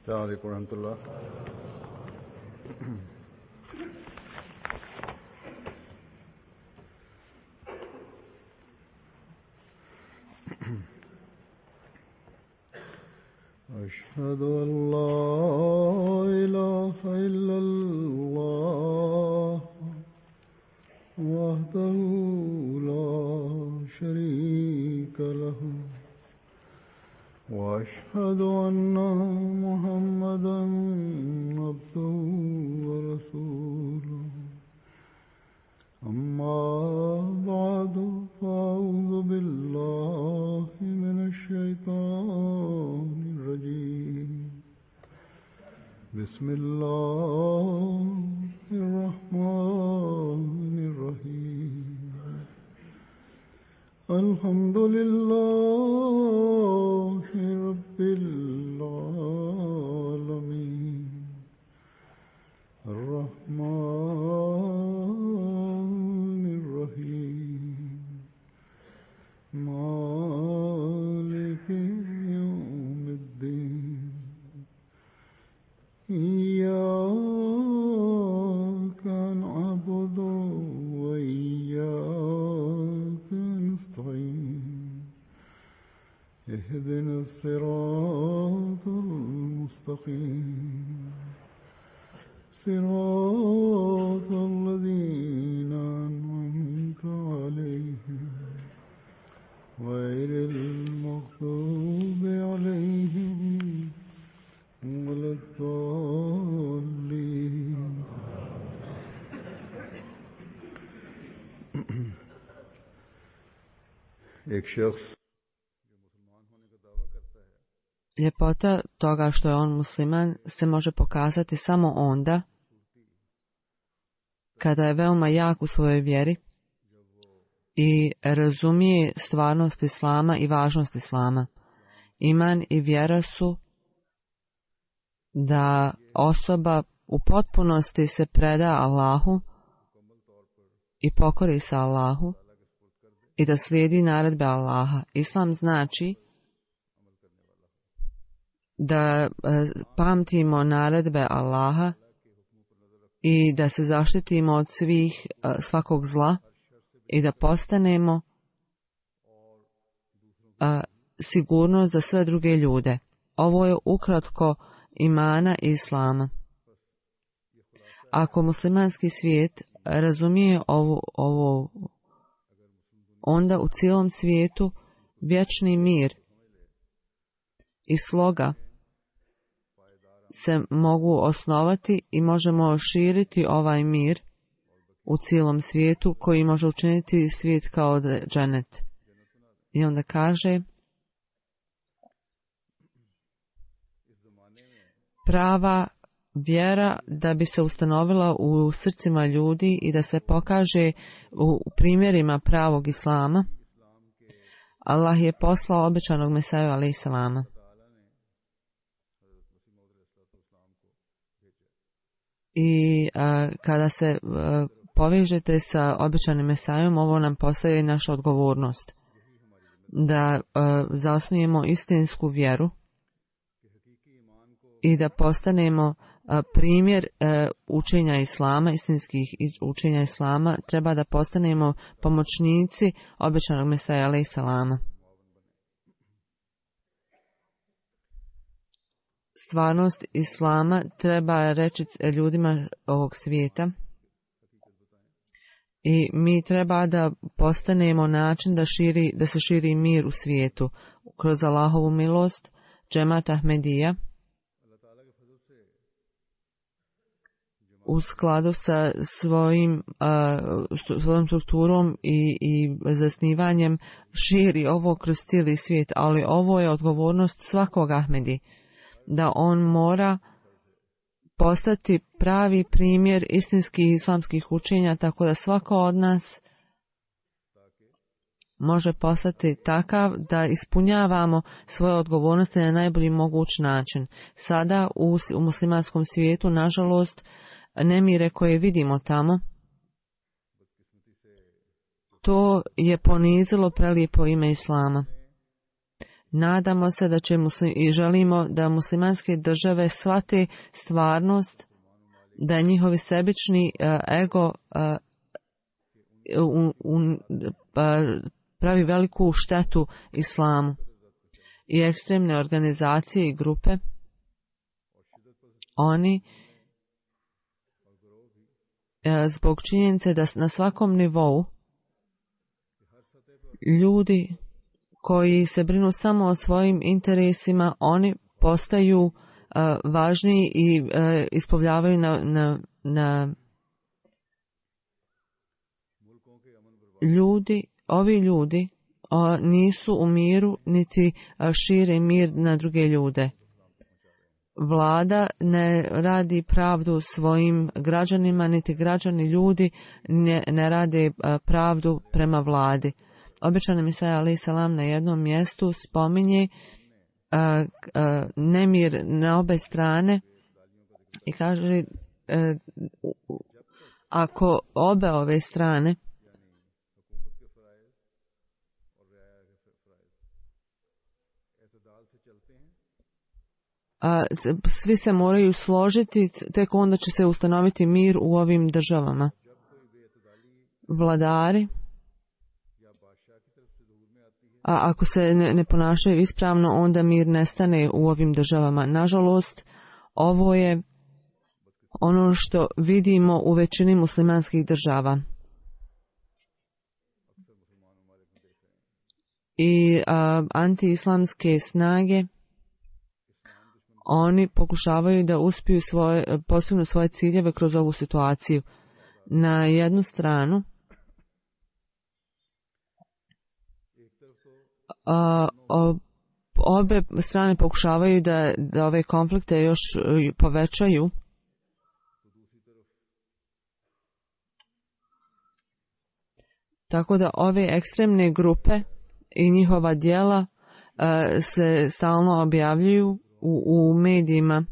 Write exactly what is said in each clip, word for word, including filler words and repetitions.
السلام عليكم ورحمة الله. أشهد أن لا إله إلا الله وحده لا شريك له وأشهد أن محمدا عبده ورسوله أما بعد فأعوذ بالله من الشيطان الرجيم بسم الله الرحمن الرحيم الحمد لله رب العالمين الرحمن الرحيم مالك يوم الدين إياك نعبد وإياك نستعين اهدنا الصراط المستقيم صراط الذين أنعمت عليهم غير المغضوب عليهم ولا الضالين. एक शख्स Ljepota toga što je on musliman se može pokazati samo onda kada je veoma jak u svojoj vjeri i razumije stvarnost islama i važnost islama. Iman i vjera su da osoba u potpunosti se preda Allahu i pokori se Allahu i da slijedi naredbe Allaha. Islam znači da pamtimo naredbe Allaha i da se zaštitimo od svih svakog zla i da postanemo a, sigurnost za sve druge ljude. Ovo je ukratko imana i islama. Ako muslimanski svijet razumije ovo, ovo, onda u cijelom svijetu vječni mir i sloga se mogu osnovati i možemo širiti ovaj mir u cijelom svijetu koji može učiniti svijet kao dženet. I onda kaže prava vjera da bi se ustanovila u srcima ljudi i da se pokaže u primjerima pravog islama. Allah je poslao obećanog Mesaju alejhi selama. I a, kada se a, povežete sa obećanim Mesajom, ovo nam postaje naša odgovornost da a, zasnujemo istinsku vjeru i da postanemo a, primjer a, učenja islama, istinskih učenja islama. Treba da postanemo pomoćnici obećanog Mesaja alejhi selama. Stvarnost islama treba reći ljudima ovog svijeta i mi treba da postanemo način da, širi, da se širi mir u svijetu kroz Allahovu milost. Džemat Ahmedija u skladu sa svojim, uh, svojom strukturom i, i zasnivanjem širi ovo kroz cijeli svijet, ali ovo je odgovornost svakog Ahmedi, da on mora postati pravi primjer istinskih islamskih učenja, tako da svako od nas može postati takav da ispunjavamo svoje odgovornosti na najbolji moguć način. Sada u, u muslimanskom svijetu, nažalost, nemire koje vidimo tamo, to je ponizilo prelijepo ime islama. Nadamo se da će muslim, i želimo da muslimanske države shvate stvarnost, da njihovi sebični uh, ego uh, un, un, uh, pravi veliku štetu islamu. I ekstremne organizacije i grupe, oni uh, zbog činjenice da na svakom nivou ljudi koji se brinu samo o svojim interesima, oni postaju uh, važniji i uh, ispovljavaju na, na, na ljudi, ovi ljudi uh, nisu u miru niti uh, šire mir na druge ljude. Vlada ne radi pravdu svojim građanima, niti građani ljudi ne, ne rade uh, pravdu prema vladi. Običan Misaja alaih salam na jednom mjestu spominje uh, uh, nemir na obe strane i kaže uh, ako obe ove strane uh, svi se moraju složiti, tek onda će se ustanoviti mir u ovim državama. Vladari, a ako se ne, ne ponašaju ispravno, onda mir nestane u ovim državama. Nažalost, ovo je ono što vidimo u većini muslimanskih država. I a, antiislamske snage, oni pokušavaju da uspiju svoje, postignu svoje ciljeve kroz ovu situaciju. Na jednu stranu, Uh, obe strane pokušavaju da, da ove konflikte još povećaju. Tako da ove ekstremne grupe i njihova djela uh, se stalno objavljuju u, u medijima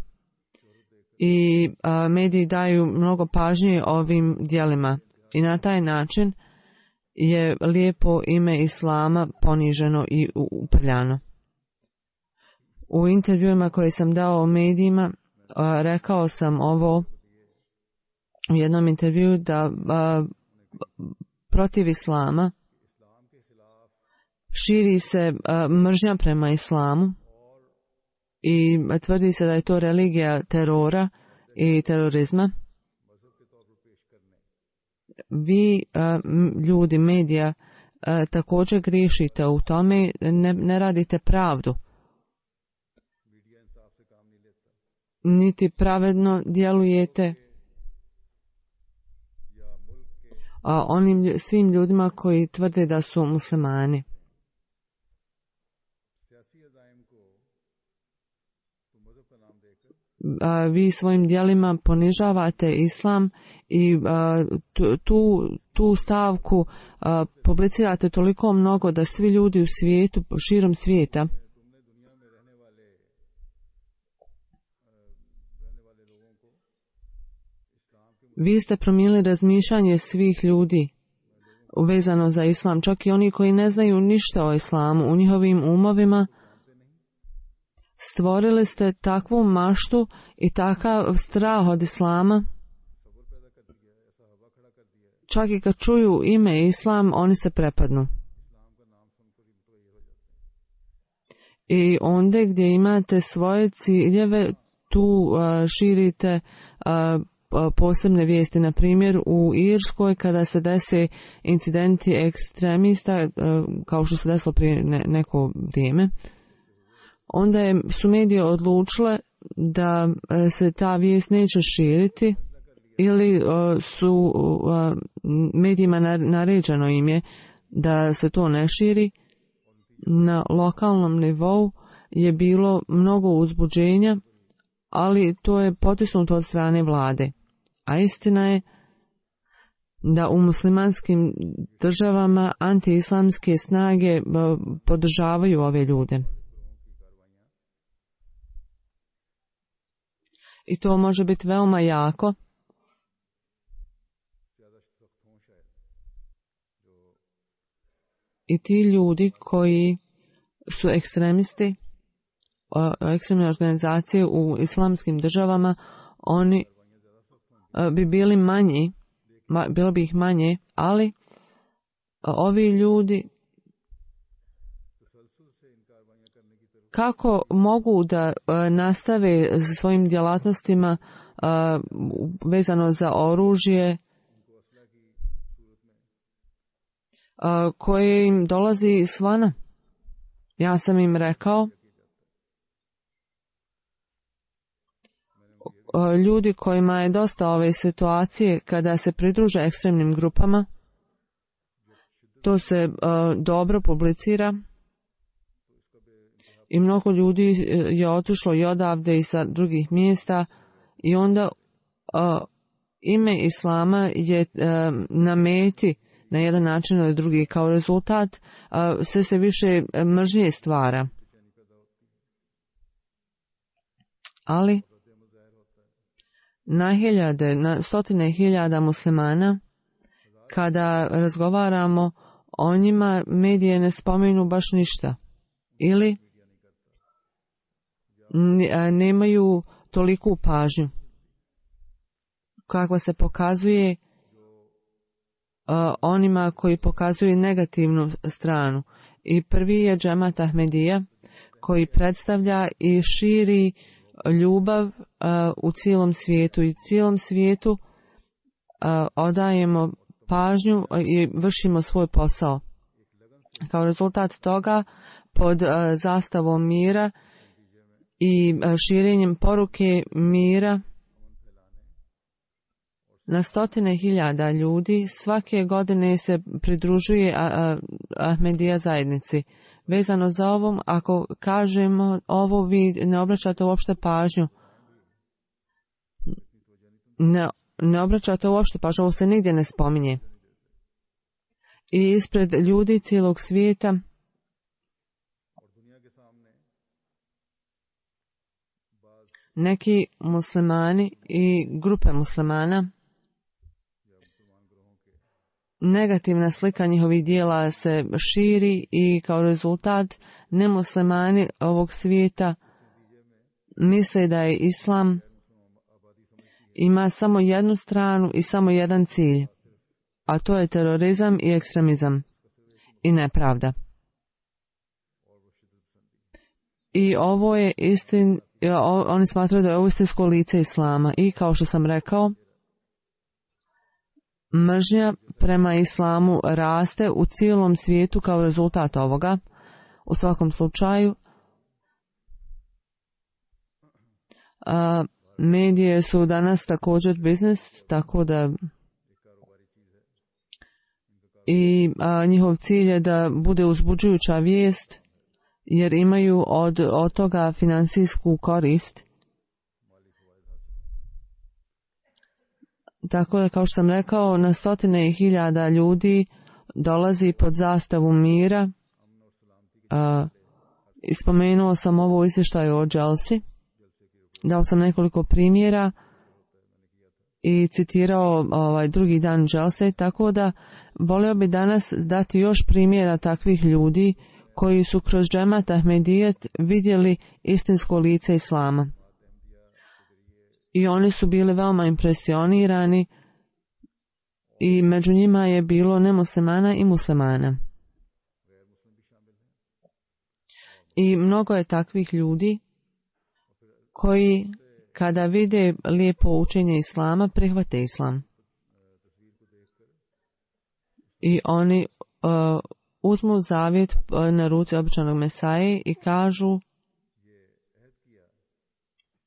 i uh, mediji daju mnogo pažnje ovim djelima i na taj način je lijepo ime islama poniženo i uprljano. U intervjuima koje sam dao u medijima rekao sam ovo u jednom intervjuu da a, protiv islama širi se a, mržnja prema islamu i tvrdi se da je to religija terora i terorizma. Vi, ljudi, medija, također griješite u tome, ne, ne radite pravdu. Niti pravedno djelujete onim svim ljudima koji tvrde da su muslimani. Vi svojim djelima ponižavate islam i tu, tu stavku publicirate toliko mnogo da svi ljudi u svijetu, širom svijeta, vi ste promijenili razmišljanje svih ljudi vezano za islam, čak i oni koji ne znaju ništa o islamu. U njihovim umovima stvorili ste takvu maštu i takav strah od islama, čak i kad čuju ime islam, oni se prepadnu. I onda gdje imate svoje ciljeve, tu uh, širite uh, posebne vijesti. Na primjer, u Irskoj kada se dese incidenti ekstremista, kao što se desilo prije neko vrijeme, onda je, su medije odlučile da se ta vijest neće širiti ili su medijima naređeno im je da se to ne širi. Na lokalnom nivou je bilo mnogo uzbuđenja, ali to je potisnuto od strane vlade. A istina je da u muslimanskim državama antiislamske snage podržavaju ove ljude. I to može biti veoma jako. I ti ljudi koji su ekstremisti, ekstremne organizacije u islamskim državama, oni bi bili manji, bilo bi ih manje, ali ovi ljudi kako mogu da nastave svojim djelatnostima vezano za oružje koje im dolazi izvana. Ja sam im rekao, ljudi kojima je dosta ove situacije kada se pridruže ekstremnim grupama, to se dobro publicira i mnogo ljudi je otišlo i odavde i sa drugih mjesta i onda ime Islama je na meti na jedan način ili drugi. Kao rezultat sve se više mržnje stvara. Ali na hiljade, na stotine hiljada muslimana, kada razgovaramo o njima, medije ne spomenu baš ništa. Ili nemaju toliku pažnju kakva se pokazuje onima koji pokazuju negativnu stranu. I prvi je Džemat Ahmedija koji predstavlja i širi ljubav u cijelom svijetu. I u cijelom svijetu odajemo pažnju i vršimo svoj posao. Kao rezultat toga, pod zastavom mira i širenjem poruke mira, na stotine hiljada ljudi svake godine se pridružuje Ahmedija zajednici. Vezano za ovom, ako kažemo ovo, vi ne obraćate uopšte pažnju. Ne, ne obraćate uopšte pažnju, ovo se nigdje ne spominje. I ispred ljudi cijelog svijeta neki muslimani i grupe muslimana, negativna slika njihovih dijela se širi i kao rezultat nemuslimani ovog svijeta misle da je islam ima samo jednu stranu i samo jedan cilj, a to je terorizam i ekstremizam i nepravda. I ovo je istin, oni smatraju da je ovo istinsko lice islama i kao što sam rekao, mržnja prema islamu raste u cijelom svijetu kao rezultat ovoga. U svakom slučaju, a, medije su danas također biznis, tako da i a, njihov cilj je da bude uzbuđujuća vijest, jer imaju od, od toga financijsku korist. Tako da, kao što sam rekao, na stotine hiljada ljudi dolazi pod zastavu mira. Uh, ispomenuo sam ovo u izvještaju o Dželsi. Dao sam nekoliko primjera i citirao ovaj drugi dan Dželse, tako da volio bi danas dati još primjera takvih ljudi koji su kroz Džemat Ahmedijet vidjeli istinsko lice islama. I oni su bili veoma impresionirani i među njima je bilo nemuslimana i muslimana. I mnogo je takvih ljudi koji kada vide lijepo učenje islama prihvate islam. I oni uh, uzmu zavjet na ruci običanog Mesaje i kažu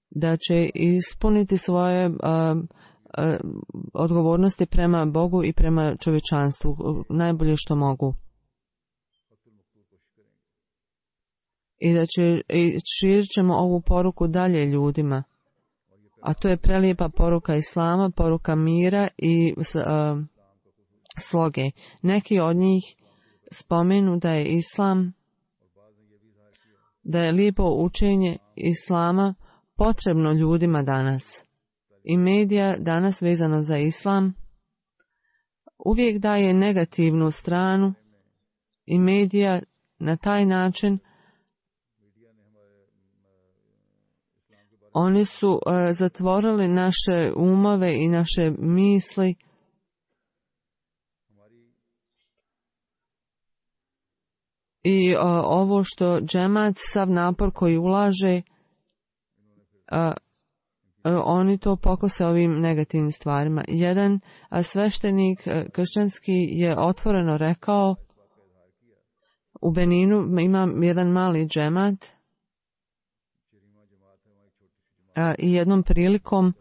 da će ispuniti svoje uh, uh, odgovornosti prema Bogu i prema čovječanstvu najbolje što mogu. I da će, i širit ćemo ovu poruku dalje ljudima. A to je prelijepa poruka islama, poruka mira i uh, sloge. Neki od njih spomenu da je islam, da je lijepo učenje islama potrebno ljudima danas. I medija danas vezano za islam uvijek daje negativnu stranu i medija na taj način Oni su uh, zatvorili naše umove i naše misli. I uh, ovo što džemat, sav napor koji ulaže, uh, uh, oni to pokose ovim negativnim stvarima. Jedan uh, sveštenik uh, kršćanski je otvoreno rekao, u Beninu ima jedan mali džemat uh, i jednom prilikom uh,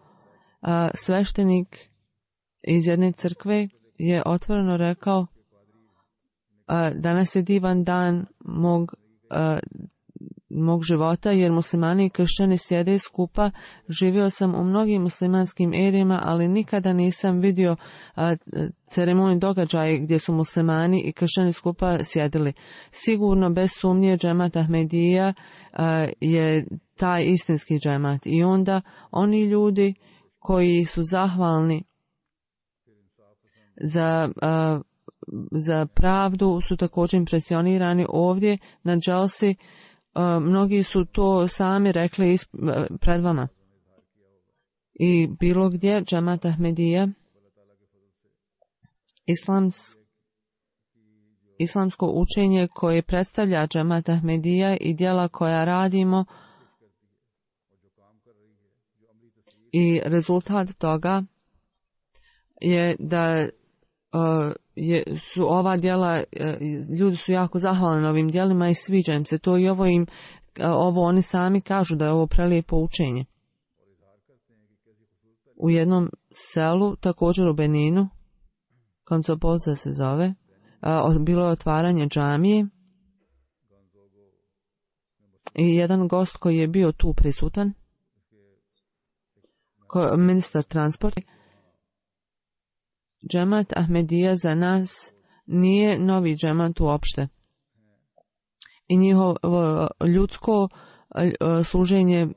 sveštenik iz jedne crkve je otvoreno rekao, Uh, danas je divan dan mog, uh, mog života, jer muslimani i kršćani sjede skupa. Živio sam u mnogim muslimanskim erijama, ali nikada nisam vidio uh, ceremoniju događaje gdje su muslimani i kršćani skupa sjedili. Sigurno, bez sumnje, džemat Ahmedija uh, je taj istinski džemat. I onda oni ljudi koji su zahvalni za uh, za pravdu su također impresionirani ovdje na dželsi. Mnogi su to sami rekli pred vama. I bilo gdje džemat Ahmedija, islams, islamsko učenje koje predstavlja džemat Ahmedija i djela koja radimo, i rezultat toga je da Uh, je, su ova djela, uh, ljudi su jako zahvalni na ovim djelima i sviđa im se to i ovo im, uh, ovo oni sami kažu da je ovo prelijepo učenje. U jednom selu, također u Beninu, Koncopoza se zove, uh, bilo je otvaranje džamije i jedan gost koji je bio tu prisutan, ko, ministar transporta, džemat Ahmedija za nas nije novi džemat uopšte. I njihovo ljudsko služenje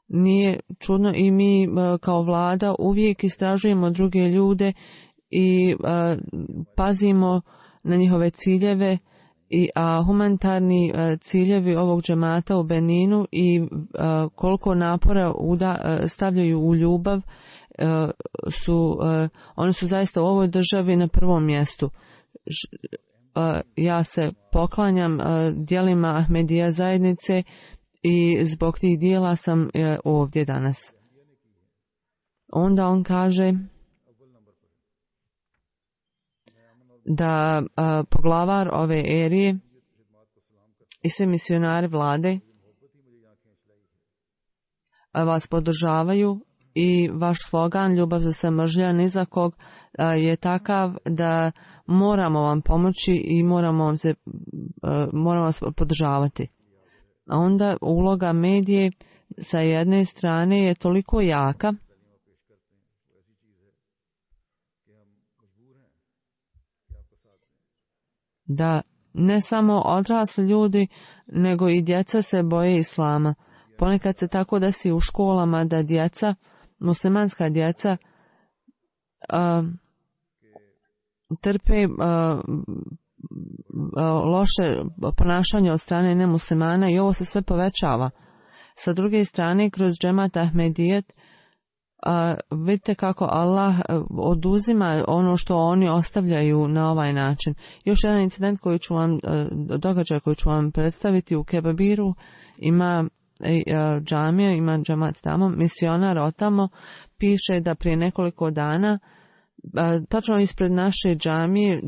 nije čudno i mi kao vlada uvijek istražujemo druge ljude i pazimo na njihove ciljeve, i a humanitarni ciljevi ovog džemata u Beninu i koliko napora uda, stavljaju u ljubav, Uh, su, uh, oni su zaista u ovoj državi na prvom mjestu. Ž, uh, ja se poklanjam uh, djelima Ahmedija zajednice i zbog tih dijela sam uh, ovdje danas. Onda on kaže da uh, poglavar ove erije i sve misionari vlade uh, vas podržavaju. I vaš slogan ljubav za sve mržnja ni za kog je takav da moramo vam pomoći i moramo vam se moramo vas podržavati. A onda uloga medije sa jedne strane je toliko jaka da ne samo odrasli ljudi nego i djeca se boje islama. Ponekad se tako desi u školama da djeca, muslimanska djeca, uh, trpe uh, uh, loše ponašanje od strane nemuslimana i ovo se sve povećava. Sa druge strane, kroz džemat Ahmedijet, uh, vidite kako Allah uh, oduzima ono što oni ostavljaju na ovaj način. Još jedan incident koji ću vam, uh, događaj koji ću vam predstaviti u Kebabiru, ima uh, džamija, ima džemat tamo, misionar od tamo piše da prije nekoliko dana uh, tačno ispred naše džamije uh,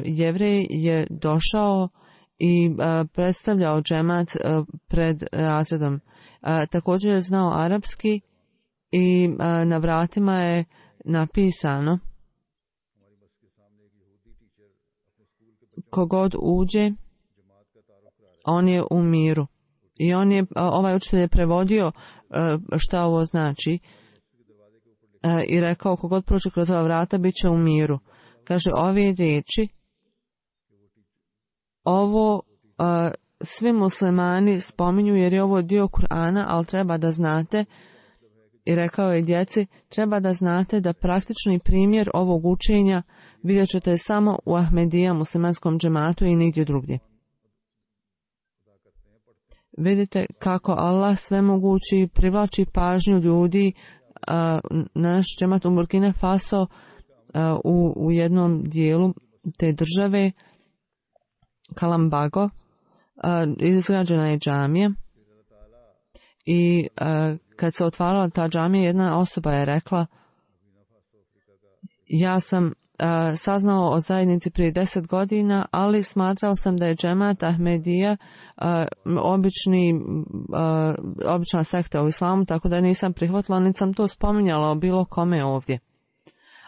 Jevrej je došao i uh, predstavljao džemat uh, pred razredom. Uh, također je znao arapski i uh, na vratima je napisano kogod uđe, on je u miru. I on je, uh, ovaj učitelj je prevodio uh, šta ovo znači uh, i rekao kogod prođe kroz ova vrata bit će u miru. Kaže, ove riječi, ovo uh, svi muslimani spominju jer je ovo dio Kur'ana, ali treba da znate, i rekao je djeci, treba da znate da praktični primjer ovog učenja vidjet ćete samo u Ahmedija muslimanskom džematu i nigdje drugdje. Vidite kako Allah svemogući privlači pažnju ljudi a, na naš džemat u Burkina Faso a, u, u jednom dijelu te države Kalambago. A, izgrađena je džamija i a, kad se otvarala ta džamija, jedna osoba je rekla: ja sam a, saznao o zajednici prije deset godina, ali smatrao sam da je džemat Ahmedija a, obični, a, obična sekta u islamu, tako da nisam prihvatila, niti sam to spominjala o bilo kome ovdje.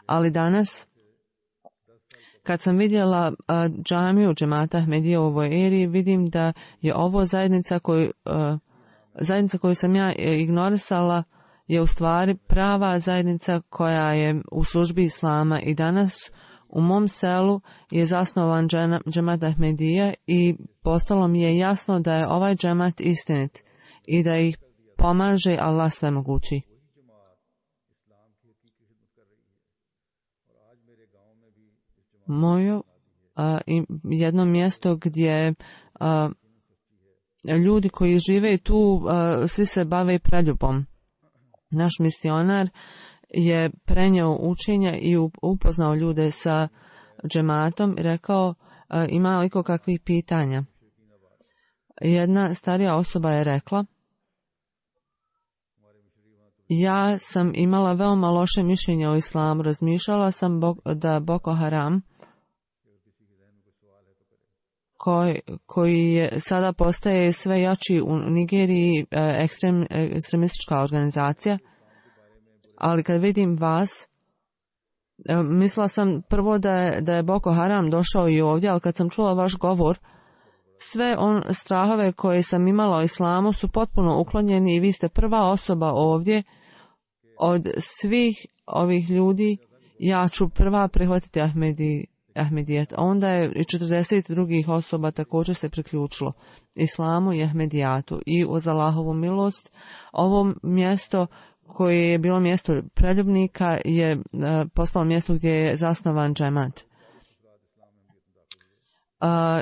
Ali danas, kad sam vidjela a, džamiju džemata Ahmedija u ovoj eri, vidim da je ovo zajednica koju, a, zajednica koju sam ja ignorisala je u stvari prava zajednica koja je u službi islama i danas u mom selu je zasnovan džemat Ahmedija i postalo mi je jasno da je ovaj džemat istinit i da ih pomaže Allah svemogući. Moje jedno mjesto gdje a, ljudi koji žive tu a, svi se bave preljubom. Naš misionar je prenio učenja i upoznao ljude sa džematom i rekao: ima li kakvih pitanja? Jedna starija osoba je rekla: ja sam imala veoma loše mišljenje o islamu, razmišljala sam da Boko Haram, koji, koji je sada postaje sve jači u Nigeriji, ekstrem, ekstremistička organizacija, ali kad vidim vas, mislila sam prvo da je, da je Boko Haram došao i ovdje, ali kad sam čula vaš govor, sve on strahove koje sam imala o islamu su potpuno uklonjeni i vi ste prva osoba ovdje od svih ovih ljudi. Ja ću prva prihvatiti Ahmedi, Ahmedijet. Onda je i četrdeset drugih osoba također se priključilo islamu i Ahmedijatu. I uz Allahovu milost ovo mjesto koje je bilo mjesto preljubnika je postalo mjesto gdje je zasnovan džemat.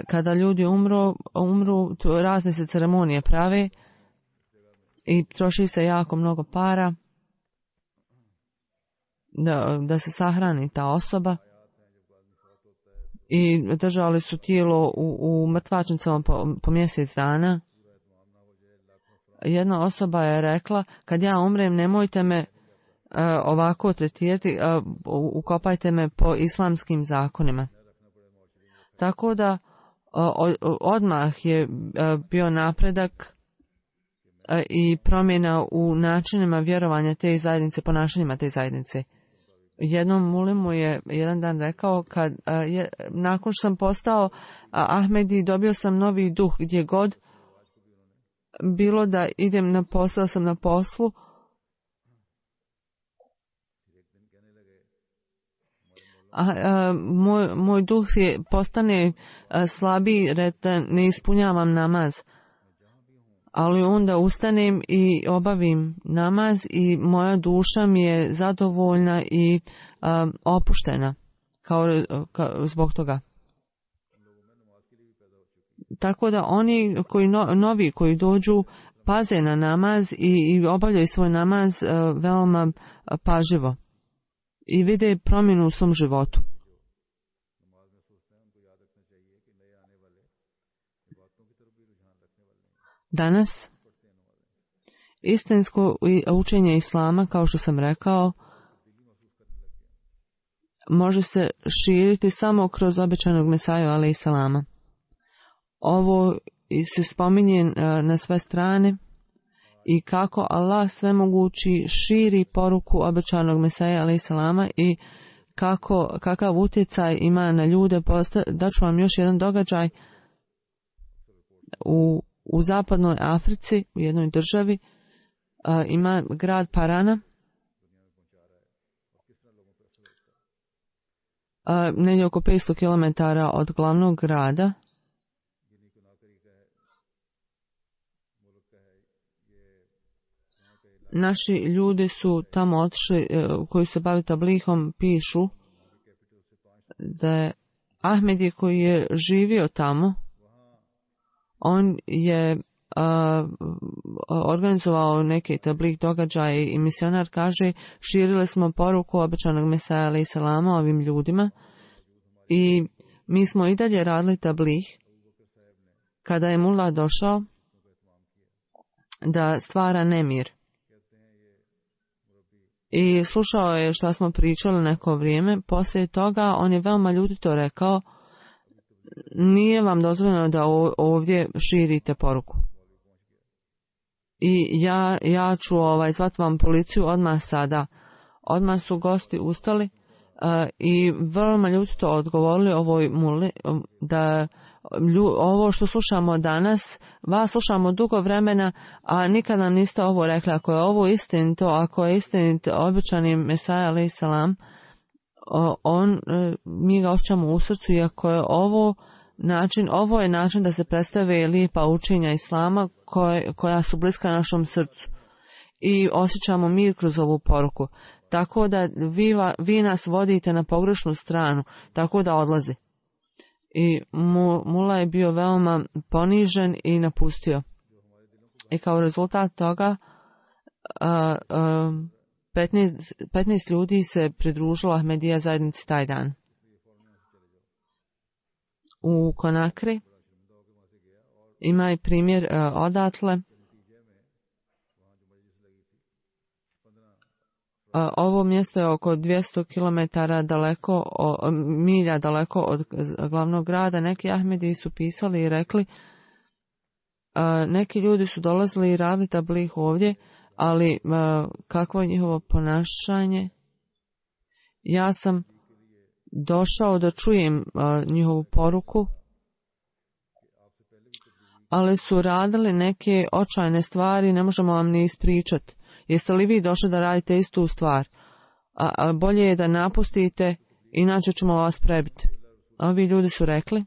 Kada ljudi umru, umru razne se ceremonije prave i troši se jako mnogo para da, da se sahrani ta osoba i držali su tijelo u, u mrtvačnicama po, po mjesec dana. Jedna osoba je rekla: kad ja umrem, nemojte me uh, ovako tretirati, uh, ukopajte me po islamskim zakonima. Tako da uh, odmah je uh, bio napredak uh, i promjena u načinima vjerovanja te zajednice, ponašanjima te zajednice. Jednom mulimu je jedan dan rekao: kad, uh, je, nakon što sam postao uh, Ahmedi, dobio sam novi duh gdje god bilo da idem na posao, sam na poslu. A, a, moj, moj duh je postane a, slabiji, da ne ispunjavam namaz. Ali onda ustanem i obavim namaz i moja duša mi je zadovoljna i a, opuštena kao, kao zbog toga. Tako da oni koji no, novi koji dođu paze na namaz i, i obavljaju svoj namaz uh, veoma uh, pažljivo i vide promjenu u svom životu. Danas istinsko učenje islama, kao što sam rekao, može se širiti samo kroz obećanog Mesaju alejhi selama. Ovo se spominje na sve strane i kako Allah svemogući širi poruku obećanog Mesaja alejhi selama i kako, kakav utjecaj ima na ljude. Daću vam još jedan događaj. U, u zapadnoj Africi, u jednoj državi, a, ima grad Parana. A, negdje oko petsto kilometara od glavnog grada. Naši ljudi su tamo otišli, koji se bavi tablihom, pišu da je Ahmedi koji je živio tamo, on je uh, organizovao neki tablik događaj i misionar kaže širili smo poruku obećanog Mesaja alejhi selama ovim ljudima i mi smo i dalje radili tablik kada je Mullah došao da stvara nemir. I slušao je što smo pričali neko vrijeme. Poslije toga on je veoma ljutito rekao nije vam dozvoljeno da ovdje širite poruku. I ja, ja ću ovaj, zvati vam policiju odmah sada. Odmah su gosti ustali uh, i veoma ljutito odgovorili ovoj muli da lju, ovo što slušamo danas, vas slušamo dugo vremena, a nikad nam niste ovo rekli. Ako je ovo istinito, ako je istinit obećani Mesaja alejhi selam, on, mi ga osjećamo u srcu i ako je ovo način, ovo je način da se predstave lijepa učenja Islama koje, koja su bliska našom srcu i osjećamo mir kroz ovu poruku. Tako da vi, vi nas vodite na pogrešnu stranu, tako da odlazi. I Mula je bio veoma ponižen i napustio. I kao rezultat toga a, a, petnaest, petnaest ljudi se pridružilo Ahmedija zajednici taj dan. U Konakri ima i primjer a, odatle. A, ovo mjesto je oko dvjesto kilometara daleko, o, milja daleko od glavnog grada. Neki Ahmediji su pisali i rekli, a, neki ljudi su dolazili i radili tabligh ovdje, ali a, kakvo je njihovo ponašanje? Ja sam došao da čujem a, njihovu poruku, ali su radili neke očajne stvari, ne možemo vam ni ispričati. Jeste li vi došli da radite istu stvar? A, a bolje je da napustite, inače ćemo vas prebiti. Ovi ljudi su rekli,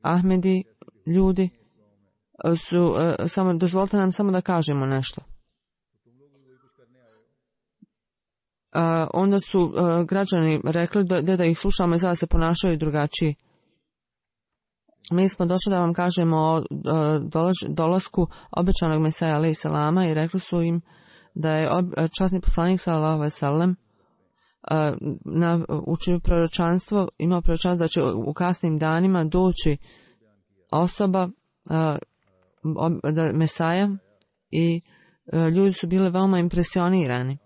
Ahmedi ljudi, su, a, samo, dozvolite nam samo da kažemo nešto. A, onda su a, građani rekli da, da ih slušamo i sada se ponašaju drugačije. Mi smo došli da vam kažemo o dolasku obećanog Mesaja alejhi selama i rekli su im da je časni poslanik sallallahu alejhi ve sellem na učio proročanstvo, imao proročanstvo da će u kasnim danima doći osoba da Mesaja i ljudi su bili veoma impresionirani.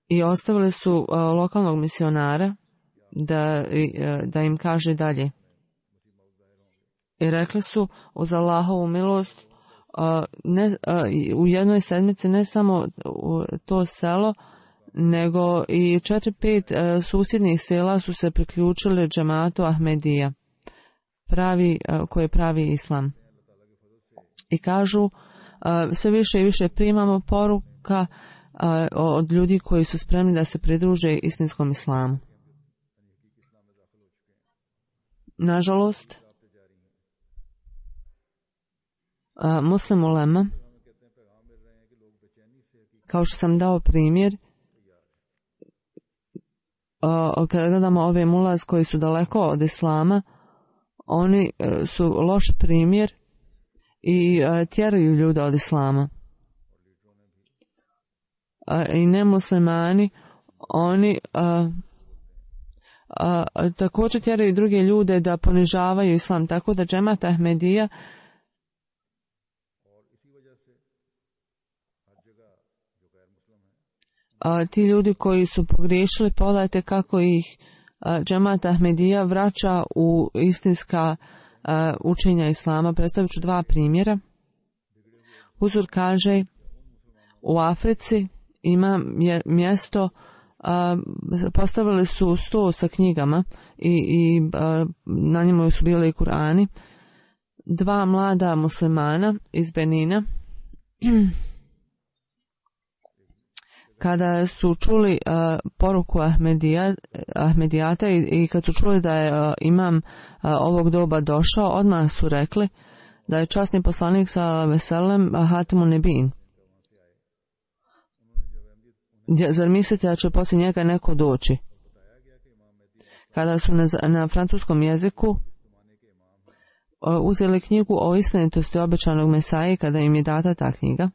I ostavili su lokalnog misionara da, da im kaže dalje. I rekli su uz Allahovu milost Uh, ne, uh, u jednoj sedmici ne samo u to selo, nego i četiri pet uh, susjednih sela su se priključili džematu Ahmedija, pravi, uh, koji pravi islam. I kažu, uh, sve više i više primamo poruka uh, od ljudi koji su spremni da se pridruže istinskom islamu. Nažalost, Uh, Muslim ulema, kao što sam dao primjer, uh, kada gledamo ove mulaz koji su daleko od islama, oni uh, su loš primjer i uh, tjeraju ljude od islama. Uh, I nemuslimani, oni uh, uh, također tjeraju druge ljude da ponižavaju islam, tako da džemat Ahmedija A, ti ljudi koji su pogriješili, pogledajte kako ih a, džemat Ahmedija vraća u istinska a, učenja islama. Predstavit ću dva primjera. Huzur kaže, u Africi ima mjesto, a, postavili su sto sa knjigama i, i a, na njemu su bili i Kurani. Dva mlada muslimana iz Benina kada su čuli uh, poruku Ahmedija, Ahmedijata i, i kad su čuli da je uh, imam uh, ovog doba došao, odmah su rekli da je časni poslanik sallallahu alejhi ve sellem Hatimun Nebin. Zar mislite da će poslije njega neko doći? Kada su na, na francuskom jeziku uzeli knjigu o istinitosti obećanog Mesaje kada im je data ta knjiga.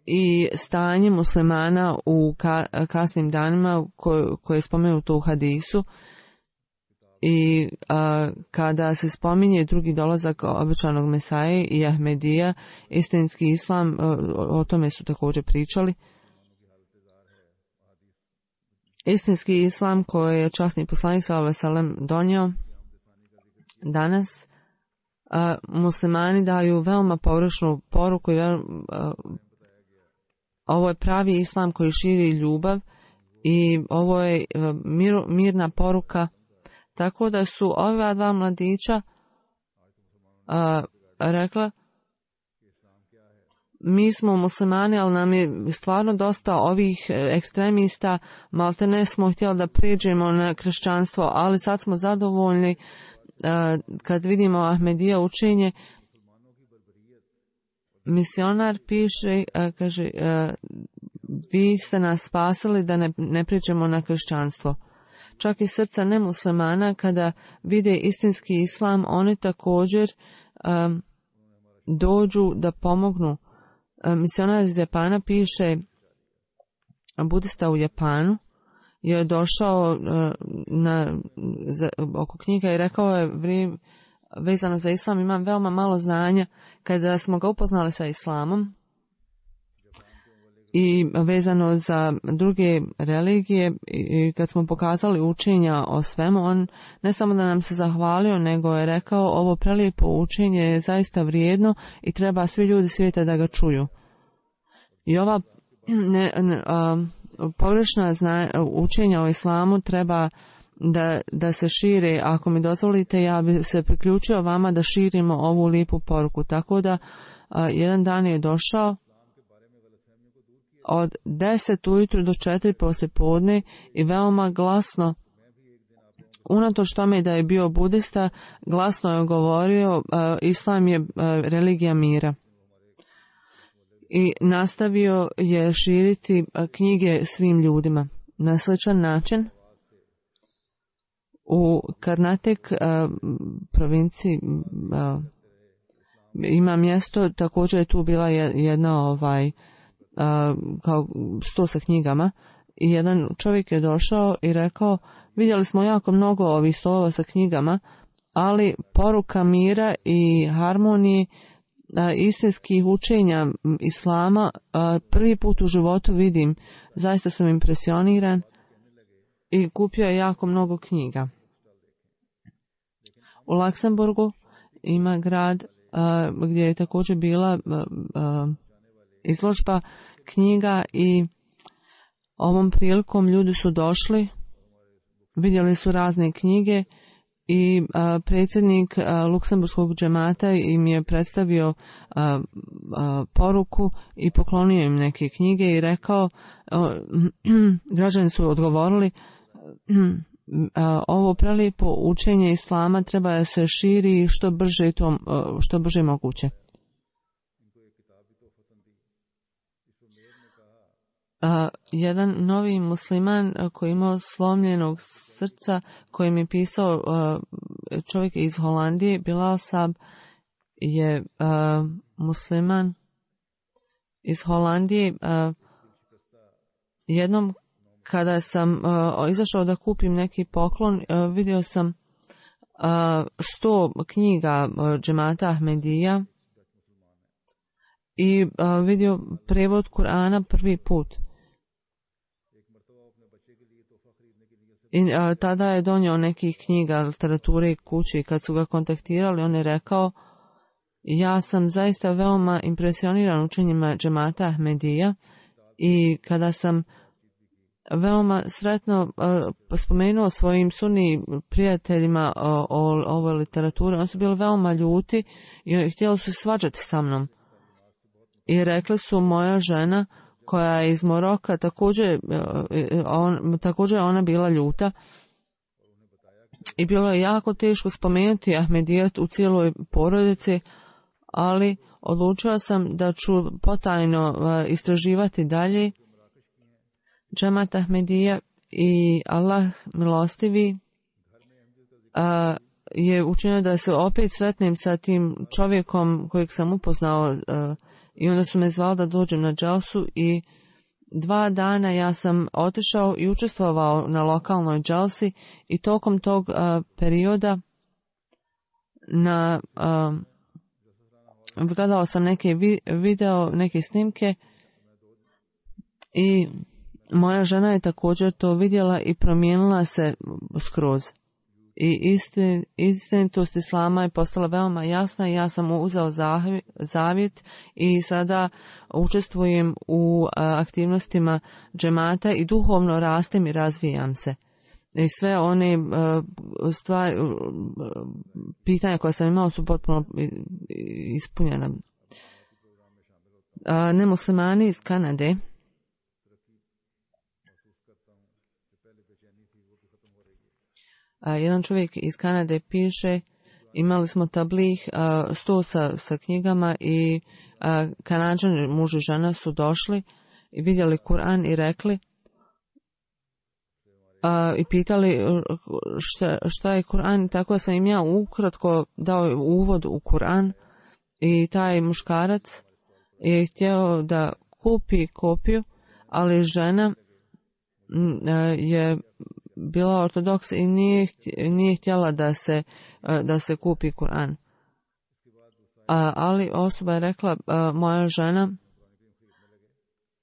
I stanje muslimana u ka, kasnim danima koje, koje je spomenuto u hadisu i a, kada se spominje drugi dolazak obećanog Mesaje i Ahmedija, istinski islam, a, o tome su također pričali. Istinski islam koji je časni poslanik sallallahu alejhi ve sellem donio danas, a, muslimani daju veoma pogrešnu poruku i veoma, ovo je pravi islam koji širi ljubav i ovo je mir, mirna poruka. Tako da su ova dva mladića a, rekla, mi smo muslimani, ali nam je stvarno dosta ovih ekstremista, malte ne smo htjeli da prijeđemo na kršćanstvo, ali sad smo zadovoljni a, kad vidimo Ahmedija učenje. Misionar piše, a, kaže, a, vi ste nas spasili da ne, ne prijeđemo na kršćanstvo. Čak i srca nemuslimana kada vide istinski islam, oni također a, dođu da pomognu. A, misionar iz Japana piše, budista u Japanu je došao a, na, za, oko knjiga i rekao je, vri, vezano za islam imam veoma malo znanja. Kada smo ga upoznali sa islamom i vezano za druge religije i kad smo pokazali učenja o svemu, on ne samo da nam se zahvalio, nego je rekao, ovo prelijepo učenje je zaista vrijedno i treba svi ljudi svijeta da ga čuju. I ova ne, ne, a, pogrešna zna, učenja o islamu treba da, da se šire. Ako mi dozvolite, ja bi se priključio vama da širimo ovu lijepu poruku. Tako da a, jedan dan je došao od deset ujutru do četiri poslijepodne i veoma glasno, unatoč tome da je bio budista, glasno je govorio, a, islam je a, religija mira. I nastavio je širiti a, knjige svim ljudima. Na sličan način u Karnatek a, provinciji a, ima mjesto, također je tu bila jedna ovaj a, kao sto sa knjigama i jedan čovjek je došao i rekao, vidjeli smo jako mnogo ovih stolova sa knjigama, ali poruka mira i harmonije, a, istinskih učenja islama a, prvi put u životu vidim, zaista sam impresioniran i kupio je jako mnogo knjiga. U Luksemburgu ima grad a, gdje je također bila a, a, izložba knjiga i ovom prilikom ljudi su došli, vidjeli su razne knjige i a, predsjednik a, Luksemburskog džemata im je predstavio a, a, poruku i poklonio im neke knjige i rekao, a, građani su odgovorili, a, ovo prelijepo učenje islama treba da se širi što brže, to, što brže moguće. A, jedan novi musliman koji imao slomljenog srca, koji mi je pisao a, čovjek iz Holandije, Bilal Sab je a, musliman iz Holandije. A, jednom kada sam a, izašao da kupim neki poklon, a, vidio sam a, sto knjiga a, džemata Ahmedija i a, vidio prevod Kur'ana prvi put. I a, tada je donio nekih knjiga, literature kući. Kad su ga kontaktirali, on je rekao, ja sam zaista veoma impresioniran učenjima džemata Ahmedija i kada sam veoma sretno a, spomenuo svojim sunni prijateljima o, o ovoj literaturi, oni su bili veoma ljuti i htjeli su svađati sa mnom. I rekli su, moja žena koja je iz Moroka, također, on, također je ona bila ljuta i bilo je jako teško spomenuti Ahmedijat u cijeloj porodici, ali odlučila sam da ću potajno istraživati dalje. Džemat Ahmedija i Allah milostivi a, je učinio da se opet sretnem sa tim čovjekom kojeg sam upoznao a, i onda su me zvali da dođem na dželsu i dva dana ja sam otišao i učestvovao na lokalnoj dželsi i tokom tog a, perioda na a, gledao sam neke vi, video, neke snimke i moja žena je također to vidjela i promijenila se skroz. I istin, istinitost islama je postala veoma jasna i ja sam uzeo zavjet i sada učestvujem u aktivnostima džemata i duhovno rastem i razvijam se. I sve one stvari, pitanja koja sam imao su potpuno ispunjena. Nemuslimani iz Kanade jedan čovjek iz Kanade piše, imali smo tablih, sto sa, sa knjigama i Kanadžani, muž i žena su došli i vidjeli Kur'an i rekli a, i pitali šta, šta je Kur'an. Tako sam im ja ukratko dao uvod u Kur'an i taj muškarac je htio da kupi kopiju, ali žena je bila ortodoks i nije, nije htjela da se, da se kupi Kur'an. A, ali osoba je rekla, a, moja žena,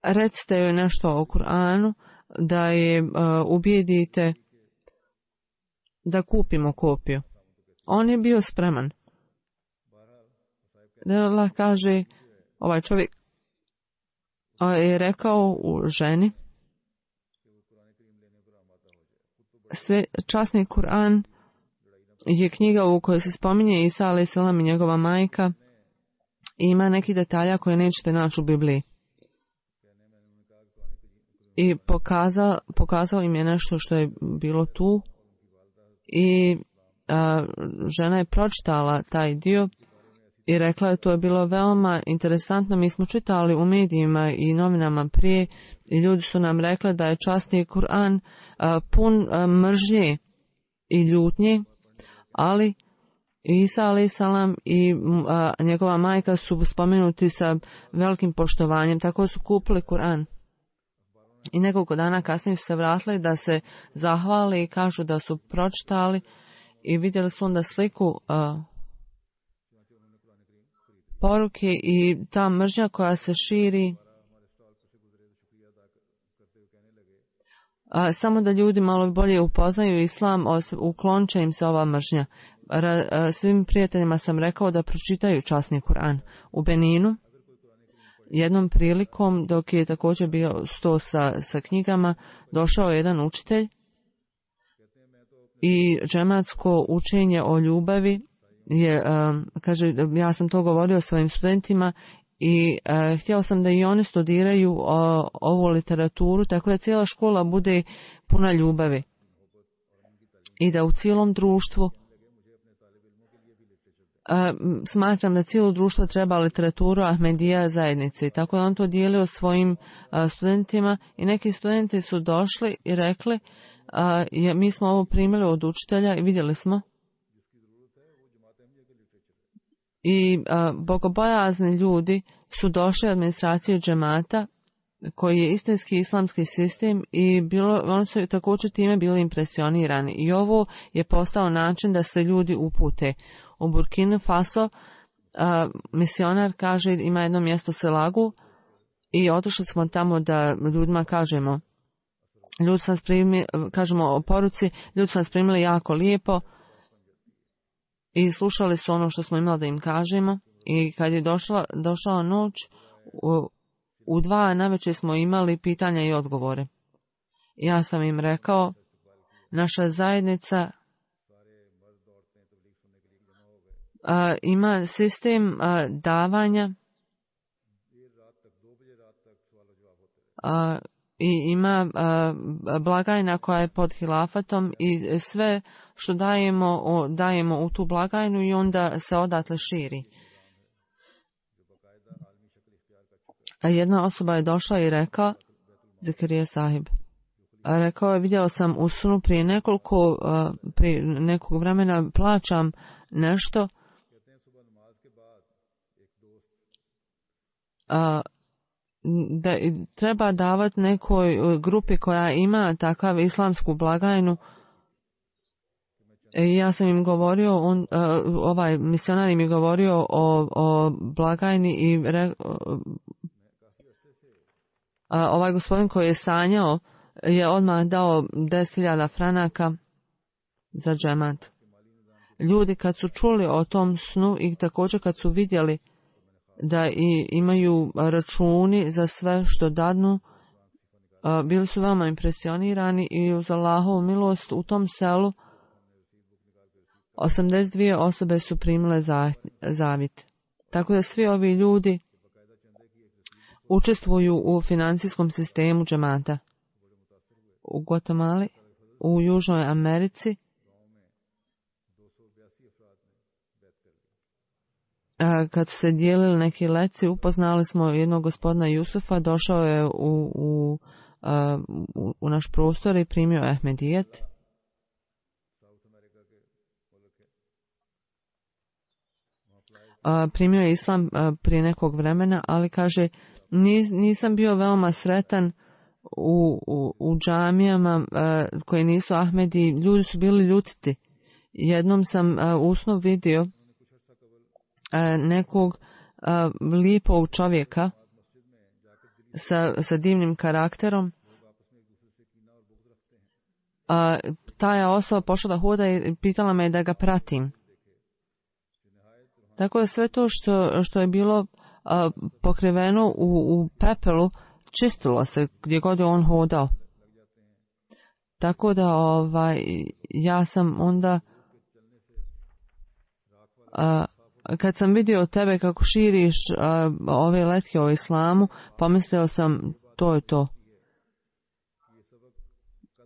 recite joj nešto o Kur'anu, da je a, ubijedite da kupimo kopiju. On je bio spreman. Allah kaže, ovaj čovjek a, je rekao u ženi, sve, časni Kur'an je knjiga u kojoj se spominje Isa alejhi selam i njegova majka i ima neki detalja koje nećete naći u Bibliji. I pokazao, pokazao im je nešto što je bilo tu i a, žena je pročitala taj dio i rekla je to je bilo veoma interesantno. Mi smo čitali u medijima i novinama prije i ljudi su nam rekli da je časni Kur'an a, pun a, mržnje i ljutnje, ali Isa alejhi selam i a, njegova majka su spomenuti sa velikim poštovanjem, tako su kupili Kur'an. I nekoliko dana kasnije su se vratili da se zahvali i kažu da su pročitali i vidjeli su onda sliku a, poruke i ta mržnja koja se širi. A, samo da ljudi malo bolje upoznaju islam, uklonit će im se ova mržnja. Ra, a, svim prijateljima sam rekao da pročitaju časni Kur'an. U Beninu jednom prilikom, dok je također bio sto sa, sa knjigama, došao je jedan učitelj i džematsko učenje o ljubavi je, a, kaže, ja sam to govorio svojim studentima i a, htio sam da i oni studiraju o, ovu literaturu, tako da cijela škola bude puna ljubavi i da u cijelom društvu a, smatram da cijelo društvo treba literaturu Ahmedija zajednice. Tako da on to dijelio svojim a, studentima i neki studenti su došli i rekli a, je, mi smo ovo primili od učitelja i vidjeli smo i a, bogobojazni ljudi su došli od administracije džemata koji je istinski islamski sistem i bilo, oni su također time bili impresionirani i ovo je postao način da se ljudi upute. U Burkina Faso a, misionar kaže ima jedno mjesto Selagu i otišli smo tamo da ljudima kažemo ljudi su nas primili, kažemo o poruci, ljudi su nas primili jako lijepo i slušali su ono što smo imali da im kažemo i kad je došla, došla noć u, u dva navečer smo imali pitanja i odgovore. Ja sam im rekao, naša zajednica a, ima sistem a, davanja a, i ima a, blagajna koja je pod hilafatom i sve što dajemo, o, dajemo u tu blagajnu i onda se odatle širi. A jedna osoba je došla i rekla, Zakarija sahib, rekao je, vidio sam u snu prije nekoliko, prije nekog vremena plaćam nešto, da treba davati nekoj grupi koja ima takav islamsku blagajnu. I ja sam im govorio, on, ovaj misionar mi govorio o, o blagajni i re, ovaj gospodin koji je sanjao je odmah dao deset hiljada franaka za džemat. Ljudi kad su čuli o tom snu i također kad su vidjeli da i imaju računi za sve što dadnu, bili su veoma impresionirani i uz Allahovu milost u tom selu osamdeset dvije osobe su primile zavjet. Tako da svi ovi ljudi učestvuju u financijskom sistemu džemata. U Guatemala, u Južnoj Americi, kad su se dijelili neki leci, upoznali smo jednog gospodina Jusufa, došao je u, u, u, u naš prostor i primio Ahmedijet. Primio je islam prije nekog vremena, ali kaže, nisam bio veoma sretan u, u, u džamijama koji nisu Ahmedi, ljudi su bili ljutiti. Jednom sam u snu vidio nekog lijepog čovjeka sa, sa divnim karakterom. Ta je osoba pošla da hoda i pitala me da ga pratim. Tako da sve to što, što je bilo a, pokriveno u, u pepelu, čistilo se gdje god je on hodao. Tako da ovaj, ja sam onda, a, kad sam vidio tebe kako širiš a, ove letke o islamu, pomislio sam to je to.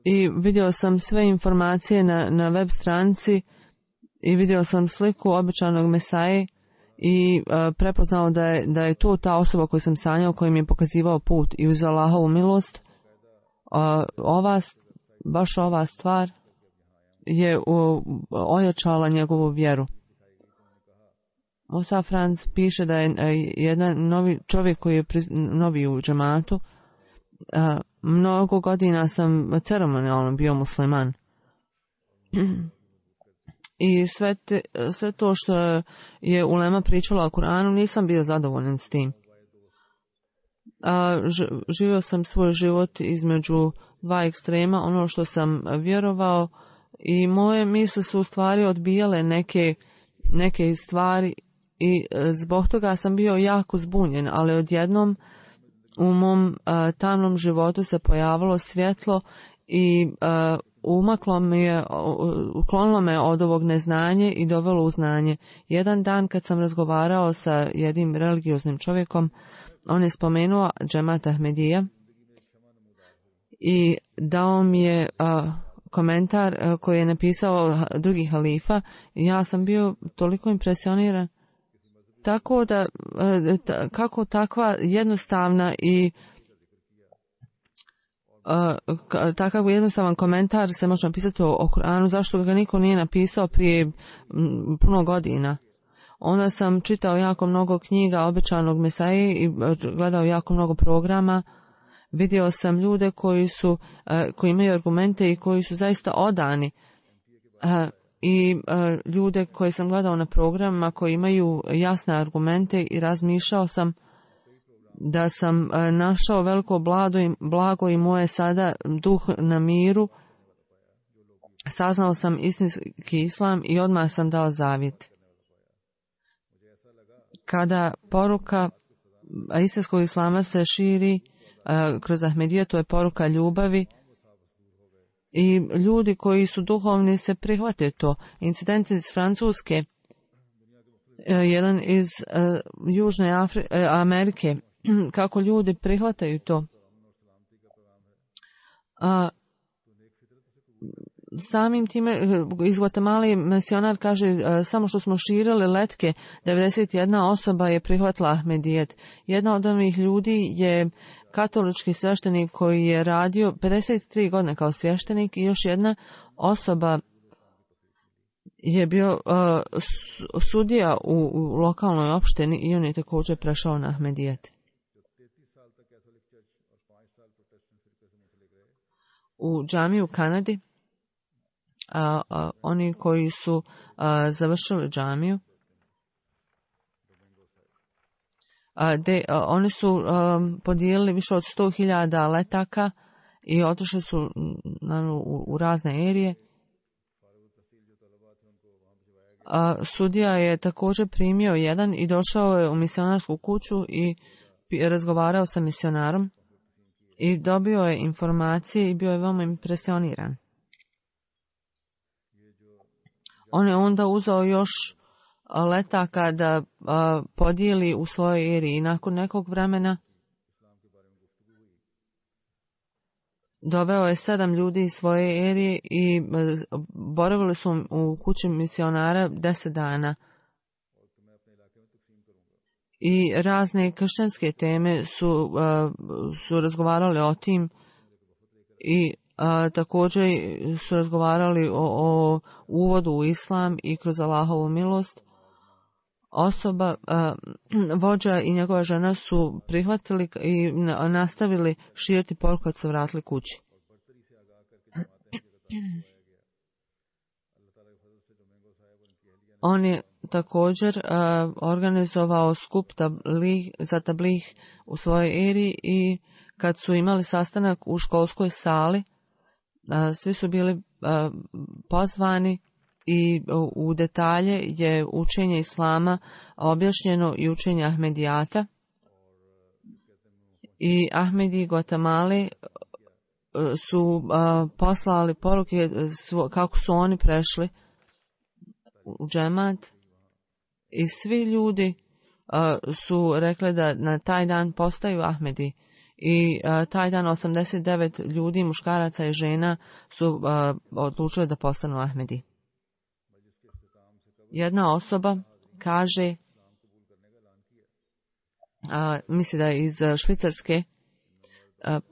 I vidio sam sve informacije na, na web stranici i vidio sam sliku obećanog Mesaje i uh, prepoznao da je, da je to ta osoba koju sam sanjao, koji mi je pokazivao put. I uz Allahovu milost, uh, ova, baš ova stvar je uh, ojačala njegovu vjeru. Musa Franc piše da je uh, jedan novi čovjek koji je pri, novi u džematu. Uh, mnogo godina sam ceremonijalno bio musliman. I sve, te, sve to što je ulema pričala o Kur'anu, nisam bio zadovoljan s tim. A, ž, živio sam svoj život između dva ekstrema, ono što sam vjerovao, i moje misle su u stvari odbijale neke, neke stvari i zbog toga sam bio jako zbunjen, ali odjednom u mom a, tamnom životu se pojavilo svjetlo i a, umaklo me je, uklonilo me od ovog neznanje i dovelo u znanje. Jedan dan kad sam razgovarao sa jednim religioznim čovjekom, on je spomenuo džemat Ahmedija i dao mi je a, komentar a, koji je napisao drugi halifa. Ja sam bio toliko impresioniran. Tako da, a, ta, kako takva jednostavna i Uh, takav jednostavan komentar se može napisati o, o Kur'anu, zašto ga niko nije napisao prije m, puno godina. Onda sam čitao jako mnogo knjiga obećanog Mesaje i gledao jako mnogo programa. Vidio sam ljude koji su, uh, koji imaju argumente i koji su zaista odani. Uh, I uh, ljude koje sam gledao na programima koji imaju jasne argumente, i razmišljao sam da sam našao veliko blago i, blago i moje sada duh na miru. Saznao sam istinski islam i odmah sam dao zavjet. Kada poruka istinskog islama se širi uh, kroz Ahmedija, to je poruka ljubavi, i ljudi koji su duhovni se prihvate to. Incident iz Francuske, uh, jedan iz uh, Južne Afri- uh, Amerike, kako ljudi prihvataju to. A, samim time iz Guatemala misionar kaže samo što smo širili letke, devedeset jedna osoba je prihvatila Ahmedijet. Jedna od ovih ljudi je katolički sveštenik koji je radio pedeset tri godine kao sveštenik i još jedna osoba je bio uh, sudija u, u lokalnoj opštini i on je također prešao na Ahmedijet. U džamiji u Kanadi a, a, oni koji su a, završili džamiju a, de, a, oni su a, podijelili više od sto hiljada letaka i otišli su na, u, u razne erije. A, sudija je također primio jedan i došao je u misionarsku kuću i razgovarao sa misionarom i dobio je informacije i bio je veoma impresioniran. On je onda uzeo još letaka da a, podijeli u svojoj eriji i nakon nekog vremena doveo je sedam ljudi iz svoje erije i boravili su u kući misionara deset dana. I razne kršćanske teme su, uh, su razgovarali o tim i uh, također su razgovarali o, o uvodu u islam i kroz Allahovu milost. Osoba, uh, vođa i njegova žena su prihvatili i nastavili širiti poruku kad se vratili kući. On je također uh, organizovao skup tablih, za tablih u svojoj eri i kad su imali sastanak u školskoj sali, uh, svi su bili uh, pozvani i uh, u detalje je učenje islama objašnjeno i učenje Ahmedijata. I Ahmedi Guatemala uh, su uh, poslali poruke svo, kako su oni prešli u džemat i svi ljudi uh, su rekli da na taj dan postaju Ahmedi i uh, taj dan osamdeset devet ljudi, muškaraca i žena su uh, odlučili da postanu Ahmedi. Jedna osoba kaže, uh, misli da je iz Švicarske, uh,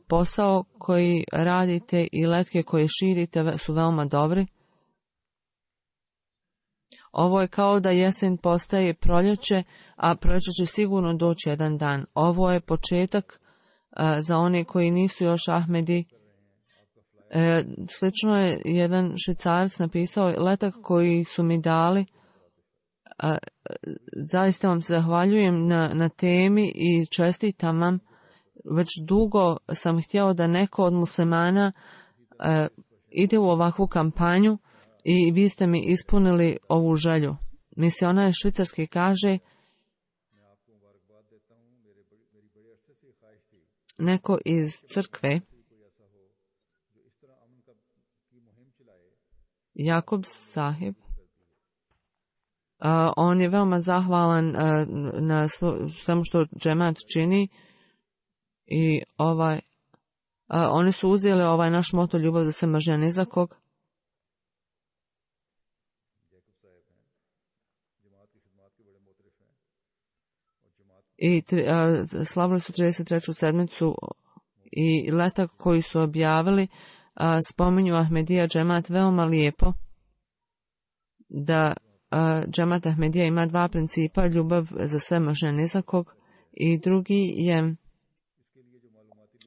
posao koji radite i letke koje širite su veoma dobri. Ovo je kao da jesen postaje proljeće, a proljeće će sigurno doći jedan dan. Ovo je početak uh, za one koji nisu još Ahmedi. E, slično je jedan Švicarac napisao, letak koji su mi dali, uh, zaista vam se zahvaljujem na, na temi i čestitam vam. Već dugo sam htjeo da neko od muslimana uh, ide u ovakvu kampanju, i vi ste mi ispunili ovu želju. Misionar Švicarski kaže, neko iz crkve, Jakob Sahib, uh, on je veoma zahvalan uh, na svemu što džemat čini i ovaj, uh, oni su uzeli ovaj naš moto ljubav za sve mržnja ni za kog. I a, slavili su trideset treću sedmicu i letak koji su objavili a, spominju Ahmedija džemat veoma lijepo, da a, džemat Ahmedija ima dva principa, ljubav za sve mržnja ni za kog, i drugi je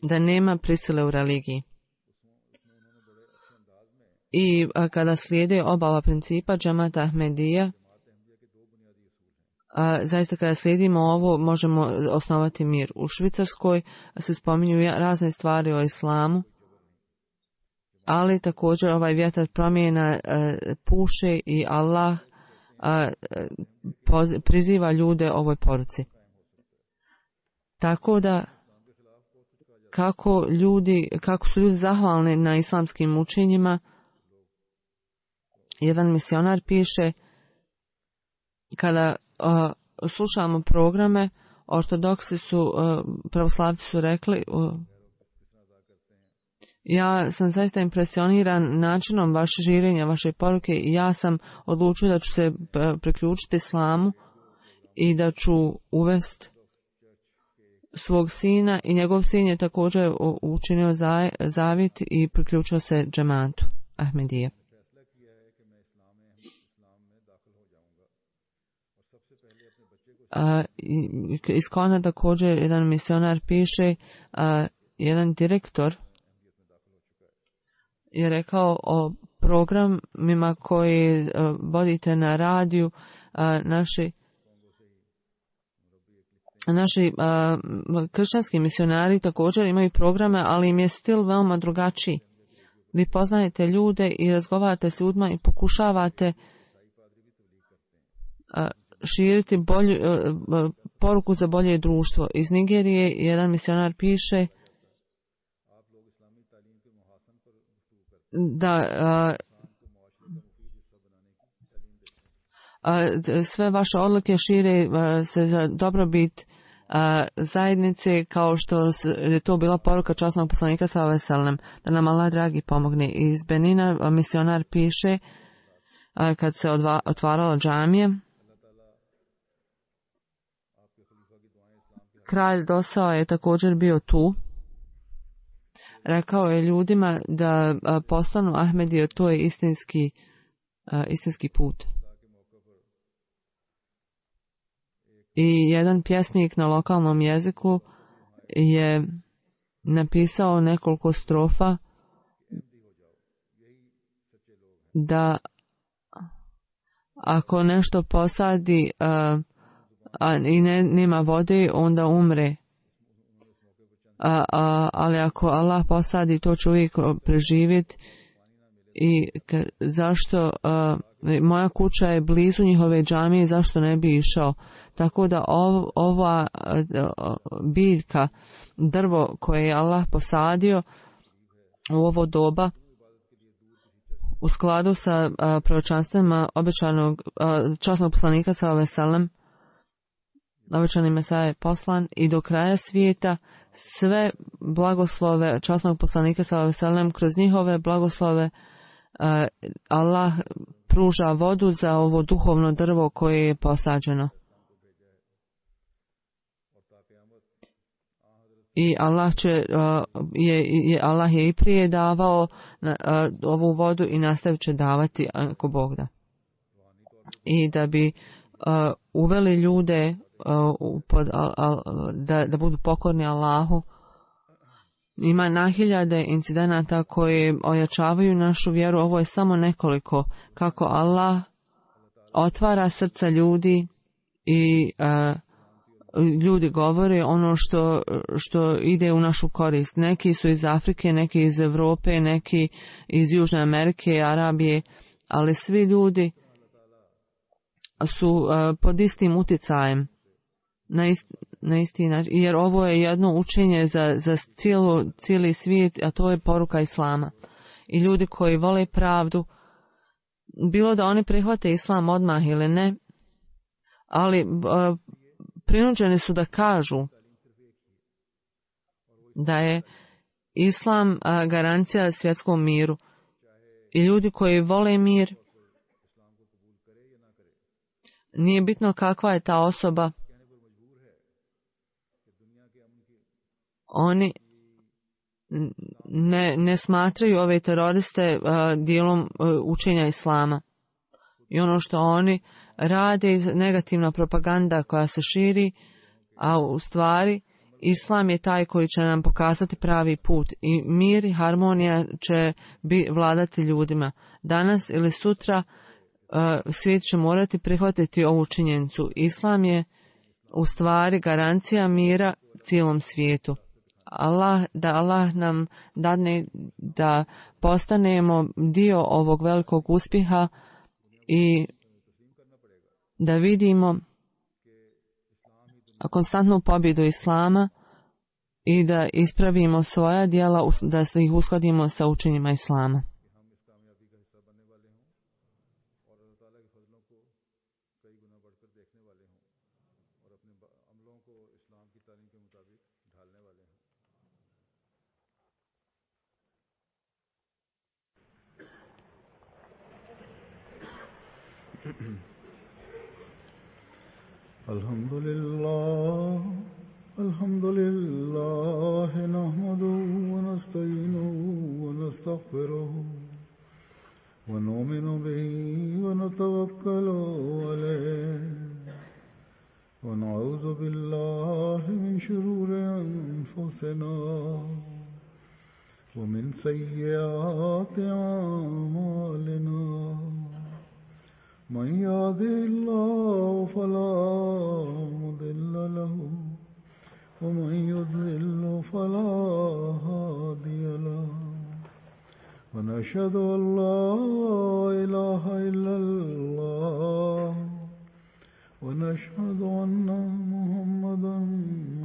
da nema prisile u religiji. I a, kada slijede oba ova principa džemat Ahmedija, A, zaista kada slijedimo ovo možemo osnovati mir. U Švicarskoj se spominju razne stvari o islamu, ali također ovaj vjetar promjena a, puše i Allah a, poz, priziva ljude ovoj poruci. Tako da kako ljudi, kako su ljudi zahvalni na islamskim učenjima, jedan misionar piše, kada Uh, slušamo programe, ortodoksi su, uh, pravoslavci su rekli, uh, Ja sam zaista impresioniran načinom vaše žirenja, vaše poruke i ja sam odlučio da ću se priključiti islamu i da ću uvesti svog sina i njegov sin je također učinio zavjet i priključio se džematu Ahmedije. Uh, iz Kona također jedan misionar piše, uh, jedan direktor je rekao o programima koji uh, vodite na radiju, uh, naši naši uh, kršćanski misionari također imaju programe, ali im je stil veoma drugačiji. Vi poznajete ljude i razgovarate s ljudima i pokušavate uh, širiti bolju, uh, poruku za bolje društvo. Iz Nigerije jedan misionar piše da uh, uh, sve vaše odluke šire uh, se za dobrobit uh, zajednice, kao što je to bila poruka časnog poslanika sallallahu alejhi ve sellem, da nam Allah dragi pomogne. Iz Benina uh, misionar piše uh, kad se odva, otvarala džamije, kralj Dosao je također bio tu. Rekao je ljudima da uh, postanu Ahmedije, to je istinski, uh, istinski put. I jedan pjesnik na lokalnom jeziku je napisao nekoliko strofa da ako nešto posadi uh, a i ne, nema vode, onda umre. A, a, ali ako Allah posadi, to će uvijek preživjeti. I ka, zašto a, moja kuća je blizu njihove džamije, zašto ne bi išao? Tako da ov, ova a, a, biljka, drvo koje je Allah posadio u ovo doba, u skladu sa proročanstvima obećanog a, časnog poslanika sallallahu alejhi ve sellem, obećani Mesija je poslan i do kraja svijeta sve blagoslove časnog poslanika sallallahu alejhi ve sellem, kroz njihove blagoslove uh, Allah pruža vodu za ovo duhovno drvo koje je posađeno. I Allah će uh, je, je Allah je i prije davao uh, ovu vodu i nastavit će davati ako Bog da. I da bi uh, uveli ljude uh, pod, uh, uh, da, da budu pokorni Allahu. Ima na hiljade incidenata koji ojačavaju našu vjeru. Ovo je samo nekoliko kako Allah otvara srca ljudi i uh, ljudi govore ono što, što ide u našu korist. Neki su iz Afrike, neki iz Europe, neki iz Južne Amerike, Arabije, ali svi ljudi su uh, pod istim utjecajem na, ist, na isti način, jer ovo je jedno učenje za, za cijelo, cijeli svijet, a to je poruka Islama. I ljudi koji vole pravdu, bilo da oni prihvate Islam odmah ili ne, ali uh, prinuđeni su da kažu da je Islam a, garancija svjetskom miru. I ljudi koji vole mir, nije bitno kakva je ta osoba, oni ne, ne smatraju ove teroriste a, dijelom a, učenja Islama. I ono što oni rade, negativna propaganda koja se širi, a u stvari Islam je taj koji će nam pokazati pravi put i mir i harmonija će bi vladati ljudima. Danas ili sutra uh, svijet će morati prihvatiti ovu činjenicu. Islam je u stvari garancija mira cijelom svijetu. Allah, da Allah nam dadne da postanemo dio ovog velikog uspjeha i da vidimo konstantnu pobjedu Islama i da ispravimo svoja djela, da se ih uskladimo sa učenjima Islama. الحمد لله الحمد لله نحمده ونستعينه ونستغفره ونؤمن به ونتوكل عليه ونعوذ بالله من شرور أنفسنا ومن سيئات أعمالنا من يهده الله فلا مضل له ومن يضلل فلا هادي له ونشهد أن لا إله إلا الله ونشهد أن محمدا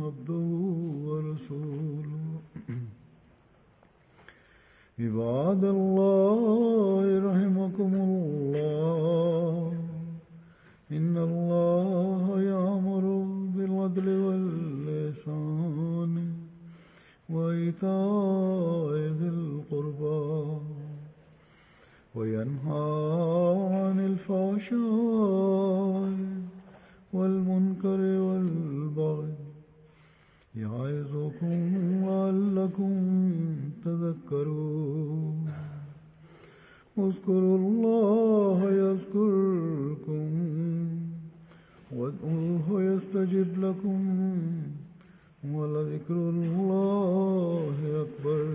عبده ورسوله عباد الله رحمكم الله إن الله يأمر بالعدل والإحسان وإيتاء ذي القربى وينهى عن الفحشاء والمنكر والبغي يعظكم لعلكم تذكرون اذكروا الله يذكركم وادعوه يستجب لكم ولذكر الله أكبر.